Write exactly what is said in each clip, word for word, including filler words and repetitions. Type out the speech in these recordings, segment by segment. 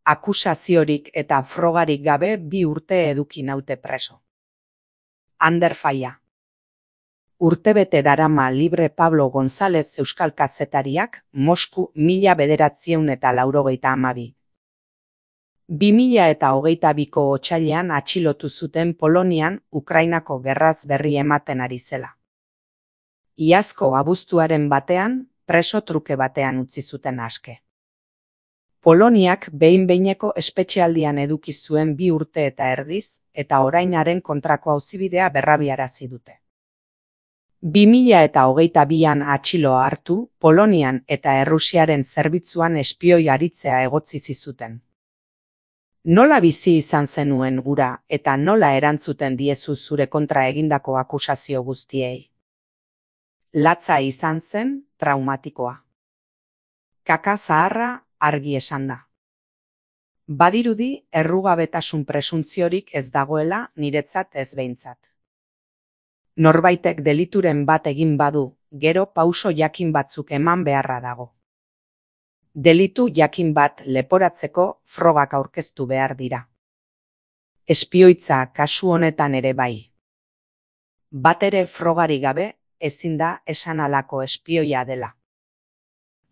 Akusaziorik eta frogarik gabe bi urte eduki naute preso. Ander Falla. Urtebete darama libre Pablo González euskal kazetariak Mosku mila bederatziehun eta laurogeita hamabi. Bi mila eta hogeita biko otsailean atxilotu zuten Polonian Ukrainako gerraz berri ematen ari zela. Iazko abuztuaren batean, preso truke batean utzi zuten aske. Poloniak behin-behineko espetxealdian eduki zuen bi urte eta erdiz, eta orainaren kontrako auzibidea berrabiarazi dute. Bi mila eta hogeita bian atxiloa hartu, Polonian eta Errusiaren zerbitzuan espioi aritzea egotzi zizuten. Nola bizi izan zenuen gura eta nola erantzuten diezu zure kontra egindako akusazio guztiei? Latza izan zen, traumatikoa. Kaka zaharra, argi esan da. Badirudi errugabetasun presuntziorik ez dagoela niretzat ez behintzat. Norbaitek delituren bat egin badu, gero pauso jakin batzuk eman beharra dago. Delitu jakin bat leporatzeko frogak aurkeztu behar dira. Espioitza kasu honetan ere bai. Batere frogari gabe ezin da esan halako espioia dela.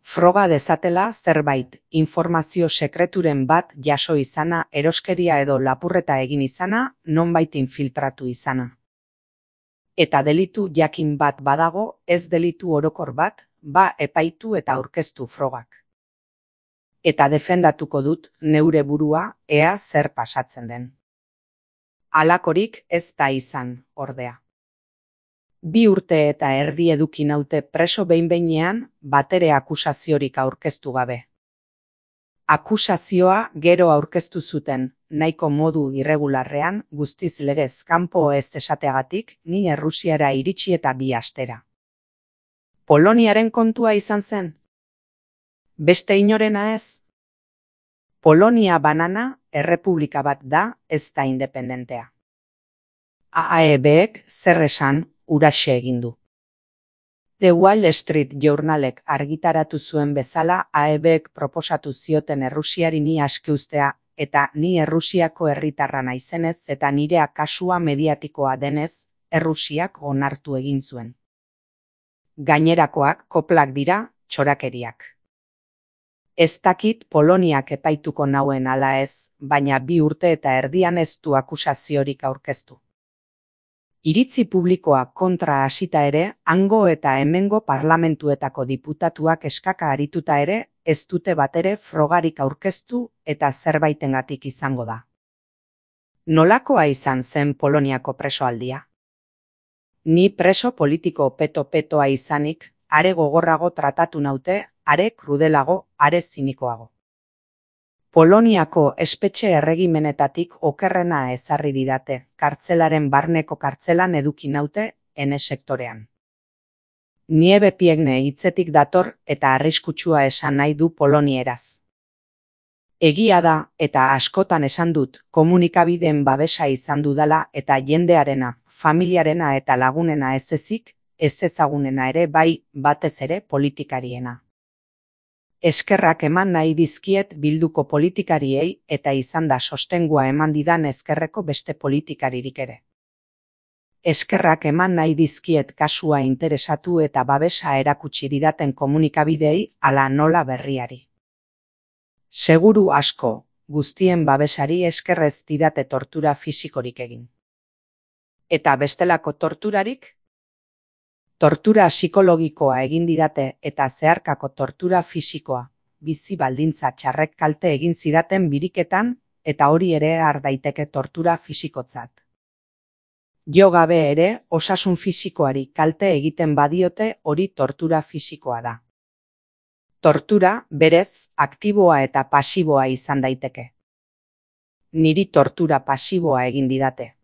Froga dezatela zerbait, informazio sekreturen bat jaso izana, eroskeria edo lapurreta egin izana, nonbait infiltratu izana. Eta delitu jakin bat badago, ez delitu orokor bat, ba epaitu eta aurkeztu frogak. Eta defendatuko dut neure burua ea zer pasatzen den. Halakorik ez da izan, ordea. Bi urte eta erdi eduki naute preso behin-behinean batere akusaziorik aurkeztu gabe. Akusazioa gero aurkeztu zuten, nahiko modu irregularrean, guztiz legez kanpo ez esateagatik, ni Errusiara iritsi eta bi astera. Poloniaren kontua izan zen? Beste inorena ez? Polonia banana, errepublika bat da, ez da independentea. A E Bek zer esan, uraxe egin du. The Wall Street Journalek argitaratu zuen bezala A E Bek proposatu zioten Errusiari ni aske uztea eta ni Errusiako herritarra naizenez eta nirea kasua mediatikoa denez, Errusiak onartu egin zuen. Gainerakoak koplak dira, txorakeriak. Ez dakit Poloniak epaituko nauen ala ez, baina bi urte eta erdian ez du akusaziorik aurkeztu. Iritzi publikoa kontra hasita ere, hango eta hemengo parlamentuetako diputatuak eskaka arituta ere, ez dute batere frogarik aurkeztu eta zerbaitengatik izango da. Nolakoa izan zen Poloniako presoaldia? Ni preso politiko peto-petoa izanik, are gogorrago tratatu naute, are krudelago, are zinikoago. Poloniako espetxe erregimenetatik okerrena ezarri didate, kartzelaren barneko kartzelan eduki naute, ene sektorean. Niebe Piegne hitzetik dator eta arriskutsua esan nahi du polonieraz. Egia da, eta askotan esan dut, komunikabideen babesa izan dudala eta jendearena, familiarena eta lagunena ez ezik, ez ezagunena ere bai, batez ere politikariena. Eskerrak eman nahi dizkiet bilduko politikariei eta izan da sostengua eman didan ezkerreko beste politikaririk ere. Eskerrak eman nahi dizkiet kasua interesatu eta babesa erakutsi didaten komunikabideei ala nola berriari. Seguru asko, guztien babesari eskerrez didate tortura fisikorik egin. Eta bestelako torturarik? Tortura psikologikoa egin didate eta zeharkako tortura fisikoa, bizi baldintza txarrek kalte egin zidaten biriketan eta hori ere har daiteke tortura fisikotzat. Jo gabe ere, osasun fisikoari kalte egiten badiote hori tortura fisikoa da. Tortura, berez, aktiboa eta pasiboa izan daiteke. Niri tortura pasiboa egin didate.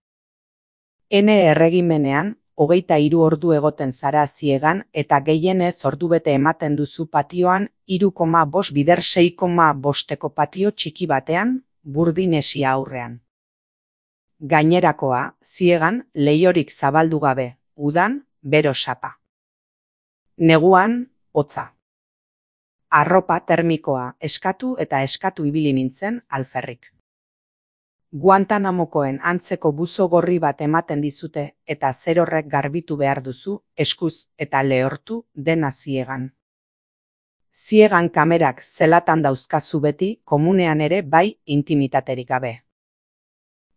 Ene erregimenean, hogeita hiru ordu egoten zara ziegan eta gehienez ordubete ematen duzu patioan hiru koma bost bider sei koma bosteko patio txiki batean, Burdinesia aurrean. Gainerakoa, ziegan, leihorik zabaldu gabe, udan, bero sapa. Neguan, hotza. Arropa termikoa eskatu eta eskatu ibili nintzen alferrik. Guantanamokoen antzeko buzo gorri bat ematen dizute eta zer horrek garbitu behar duzu, eskuz eta lehortu dena ziegan. Ziegan kamerak zelatan dauzkazu beti, komunean ere bai intimitaterik gabe.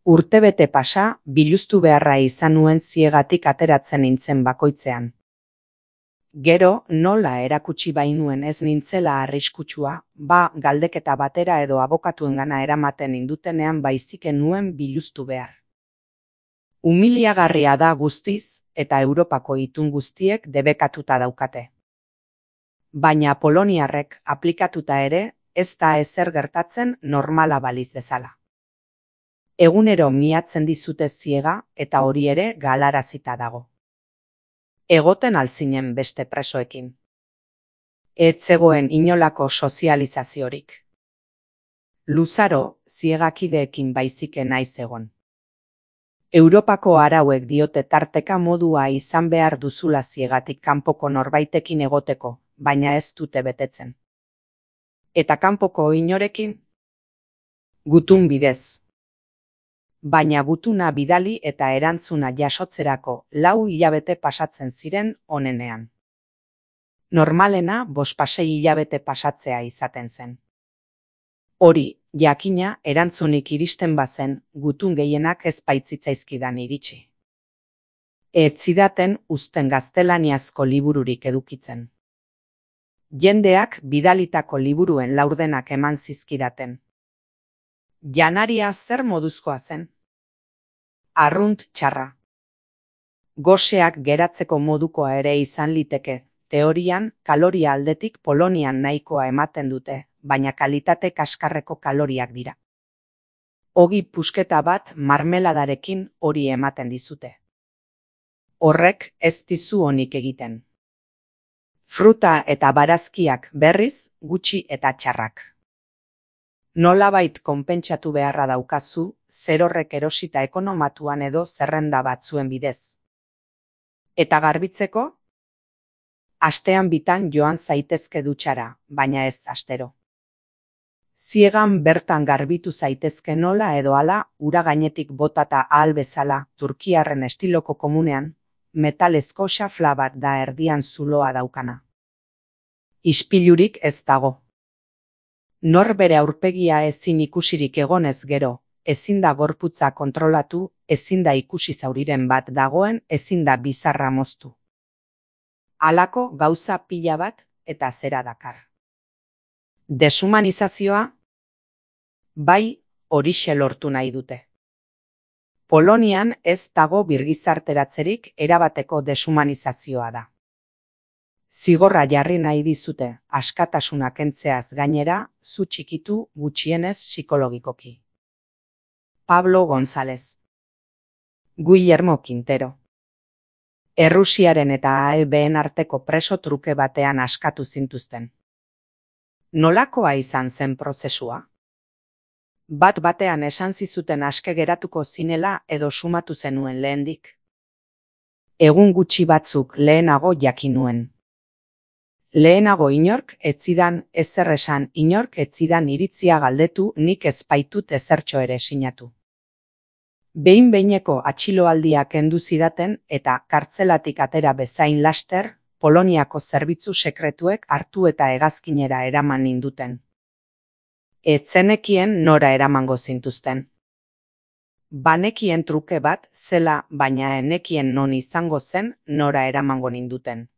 Urtebete pasa, biluztu beharra izan nuen ziegatik ateratzen nintzen bakoitzean. Gero, nola erakutsi bainuen ez nintzela arriskutsua, ba galdeketa batera edo abokatuengana eramaten indutenean baiziken nuen biluztu behar. Humiliagarria da guztiz, eta Europako itun guztiek debekatuta daukate. Baina poloniarrek aplikatuta ere, ez da ezer gertatzen normala baliz bezala. Egunero miatzen dizute ziega eta hori ere galarazita dago. Egoten alzinen beste presoekin. Ez zegoen inolako sozializaziorik. Luzaro ziegakideekin baiziken naiz egon. Europako arauek diote tarteka modua izan behar duzula ziegatik kanpoko norbaitekin egoteko, baina ez dute betetzen. Eta kanpoko inorekin? Gutun bidez. Baina gutuna bidali eta erantzuna jasotzerako lau hilabete pasatzen ziren onenean. Normalena bospasei hilabete pasatzea izaten zen. Hori, jakina erantzunik iristen bazen, gutun gehienak ez baitzitzaizkidan iritsi. Ez zidaten uzten gaztelaniazko libururik edukitzen. Jendeak bidalitako liburuen laurdenak eman zizkidaten. Janaria zer moduzkoa zen? Arrunt txarra. Goseak geratzeko modukoa ere izan liteke, teorian kaloria aldetik Polonian nahikoa ematen dute, baina kalitate kaskarreko kaloriak dira. Ogi pusketa bat marmeladarekin hori ematen dizute. Horrek ez dizu onik egiten. Fruta eta barazkiak berriz gutxi eta txarrak. Nolabait konpentsatu beharra daukazu, zer horrek erosita ekonomatuan edo zerrenda batzuen bidez. Eta garbitzeko? Astean bitan joan zaitezke dutxara, baina ez astero. Ziegan bertan garbitu zaitezke nola edo hala, ura gainetik botata ahal bezala, turkiarren estiloko komunean, metalezko xafla bat da erdian zuloa daukana. Ispilurik ez dago. Nor bere aurpegia ezin ikusirik egonez gero, ezin da gorputza kontrolatu, ezin da ikusi zauriren bat dagoen, ezin da bizarra moztu. Halako gauza pila bat eta zera dakar. Deshumanizazioa? Bai, horixe lortu nahi dute. Polonian ez dago birgizarteratzerik erabateko deshumanizazioa da. Zigorra jarri nahi dizute, askatasuna kentzeaz gainera, zu txikitu gutxienez psikologikoki. Pablo González. Guillermo Quintero. Errusiaren eta A E B:en arteko preso truke batean askatu zintuzten. Nolakoa izan zen prozesua? Bat batean esan zizuten aske geratuko zinela edo sumatu zenuen lehendik. Egun gutxi batzuk lehenago jakin nuen. Lehenago inork etzidan ezer esan, inork etzidan iritzia galdetu, nik ez baitut ezertxo ere sinatu. Behin behineko atxiloaldia kendu zidaten eta kartzelatik atera bezain laster, Poloniako zerbitzu sekretuek hartu eta hegazkinera eraman ninduten. Ez zenekien nora eramango zintuzten. Banekien truke bat zela, baina enekien non izango zen nora eramango ninduten.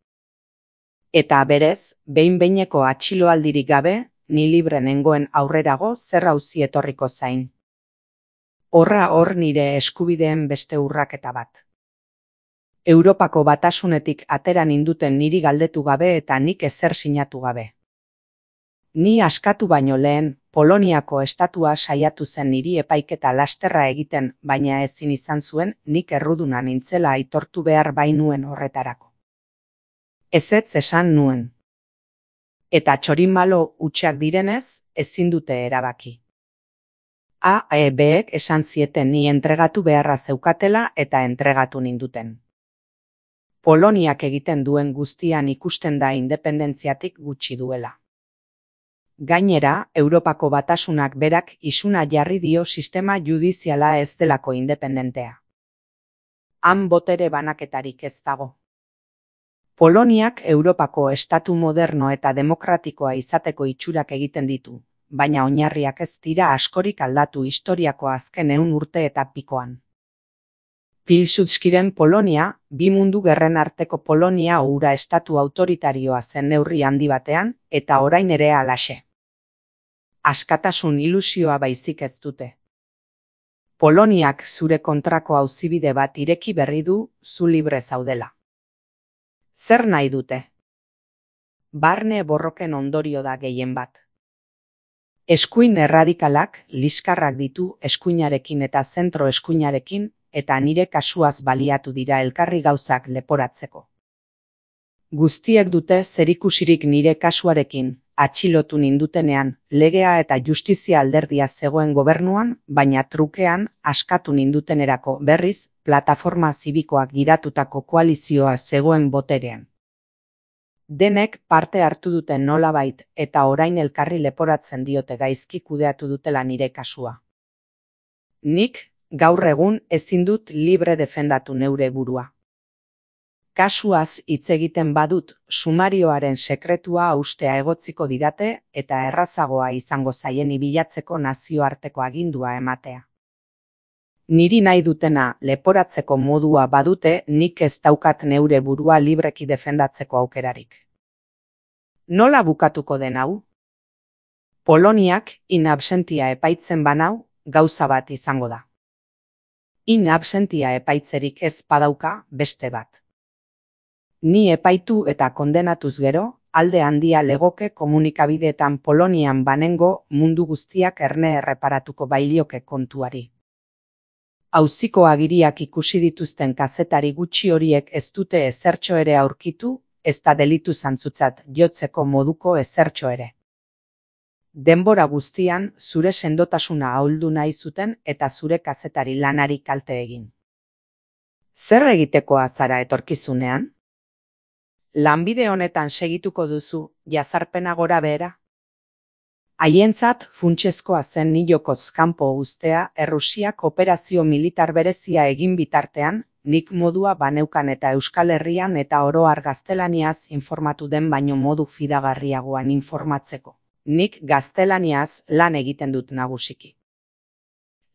Eta berez, behin behineko atxiloaldirik gabe, ni libre nengoen aurrerago zer auzi etorriko zain. Horra hor nire eskubideen beste urraketa bat. Europako batasunetik atera ninduten niri galdetu gabe eta nik ezer sinatu gabe. Ni askatu baino lehen, Poloniako estatua saiatu zen niri epaiketa lasterra egiten, baina ezin izan zuen nik erruduna nintzela aitortu behar bainuen horretarako. Ezetz esan nuen. Eta txorimalo hutsak direnez, ezin dute erabaki. A E Bek esan zieten ni entregatu beharra zeukatela eta entregatu ninduten. Poloniak egiten duen guztian ikusten da independentziatik gutxi duela. Gainera, Europako Batasunak berak isuna jarri dio sistema judiziala ez delako independentea. Han botere banaketarik ez dago. Poloniak Europako estatu moderno eta demokratikoa izateko itxurak egiten ditu, baina oinarriak ez dira askorik aldatu historiako azken ehun urte eta pikoan. Pilsudskiren Polonia, bi mundu gerren arteko Polonia hura estatu autoritarioa zen neurri handi batean, eta orain ere halaxe. Askatasun ilusioa baizik ez dute. Poloniak zure kontrako auzibide bat ireki berri du, zu libre zaudela. Zer nahi dute? Barne borroken ondorio da gehien bat. Eskuin erradikalak liskarrak ditu eskuinarekin eta zentro eskuinarekin, eta nire kasuaz baliatu dira elkarri gauzak leporatzeko. Guztiek dute zerikusirik nire kasuarekin, atxilotu nindutenean, legea eta justizia alderdia zegoen gobernuan, baina trukean, askatu nindutenerako berriz, plataforma zibikoak gidatutako koalizioa zegoen boterean. Denek parte hartu duten nolabait eta orain elkarri leporatzen diote gaizki kudeatu dutela nire kasua. Nik, gaur egun ezin dut libre defendatu neure burua. Kasuaz hitz egiten badut, sumarioaren sekretua haustea egotziko didate eta errazagoa izango zaien ibilatzeko nazioarteko agindua ematea. Niri nahi dutena leporatzeko modua badute nik ez daukat neure burua libreki defendatzeko aukerarik. Nola bukatuko den hau? Poloniak in absentia epaitzen banau, gauza bat izango da. In absentia epaitzerik ez badauka beste bat. Ni epaitu eta kondenatuz gero, alde handia legoke komunikabideetan Polonian banengo mundu guztiak erne erreparatuko bailioke kontuari. Auziko agiriak ikusi dituzten kazetari gutxi horiek ez dute ezertxo ere aurkitu, ez da delitu zantzutzat jotzeko moduko ezertxo ere. Denbora guztian zure sendotasuna ahuldu nahi zuten eta zure kazetari lanari kalte egin. Zer egitekoa zara etorkizunean? Lanbide honetan segituko duzu, jazarpena gora behera? Haientzat funtsezkoa zen nilokoz kanpo uztea Errusiak operazio militar berezia egin bitartean, nik modua baneukan eta Euskal Herrian eta oro har gaztelaniaz informatu den baino modu fidagarriagoan informatzeko. Nik gaztelaniaz lan egiten dut nagusiki.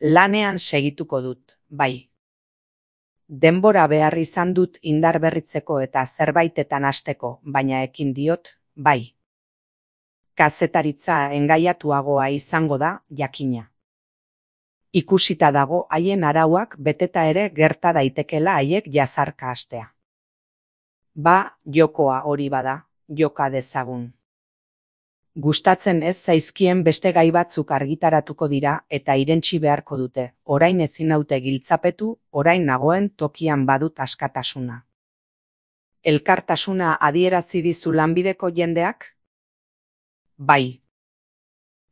Lanean segituko dut, bai. Denbora behar izan dut indar berritzeko eta zerbaitetan hasteko, baina ekin diot, bai. Kazetaritza engaiatuagoa izango da, jakina. Ikusita dago haien arauak beteta ere gerta daitekela haiek jazarka hastea. Ba, jokoa hori bada, joka dezagun. Gustatzen ez zaizkien beste gai batzuk argitaratuko dira eta irentsi beharko dute, orain ezin naute giltzapetu, orain nagoen tokian badut askatasuna. Elkartasuna adierazi dizu lanbideko jendeak? Bai.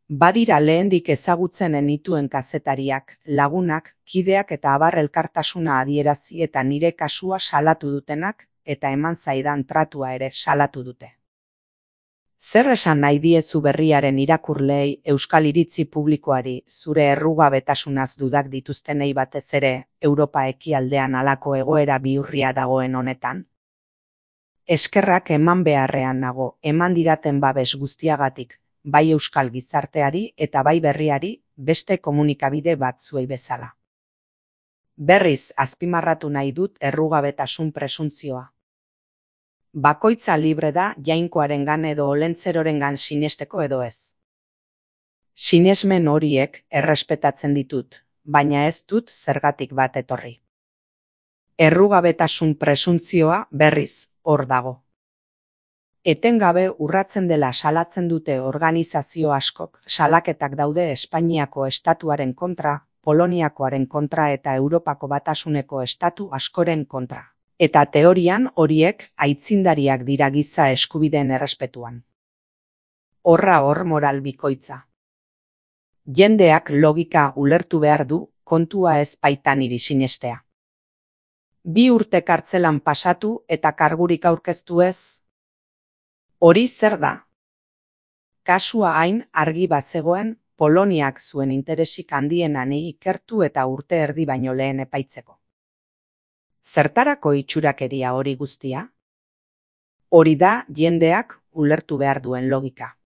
Badira lehendik ezagutzen enituen kazetariak, lagunak, kideak eta abar elkartasuna adierazi eta nire kasua salatu dutenak, eta eman zaidan tratua ere salatu dute. Zer esan nahi diezu berriaren irakurleei euskal iritzi publikoari zure errugabetasunaz dudak dituztenei batez ere Europa ekialdean halako egoera bihurria dagoen honetan? Eskerrak eman beharrean nago, eman didaten babes guztiagatik, bai euskal gizarteari eta bai berriari beste komunikabide batzuei bezala. Berriz azpimarratu nahi dut errugabetasun presuntzioa. Bakoitza libre da jainkoarengan edo olentzerorengan sinesteko edo ez. Sinesmen horiek errespetatzen ditut, baina ez dut zergatik bat etorri. Errugabetasun presuntzioa berriz hor dago. Etengabe urratzen dela salatzen dute organizazio askok, salaketak daude Espainiako estatuaren kontra, Poloniakoaren kontra eta Europako Batasuneko estatu askoren kontra. Eta teorian horiek aitzindariak dira giza eskubideen errespetuan. Horra hor moral bikoitza. Jendeak logika ulertu behar du, kontua ez baitan niri sinestea. Bi urte kartzelan pasatu eta kargurik aurkeztu ez? Hori zer da? Kasua hain argi bazegoen Poloniak zuen interesik handienan ikertu eta urte erdi baino lehen epaitzeko. Zertarako itxurakeria hori guztia? Hori da jendeak ulertu behar duen logika.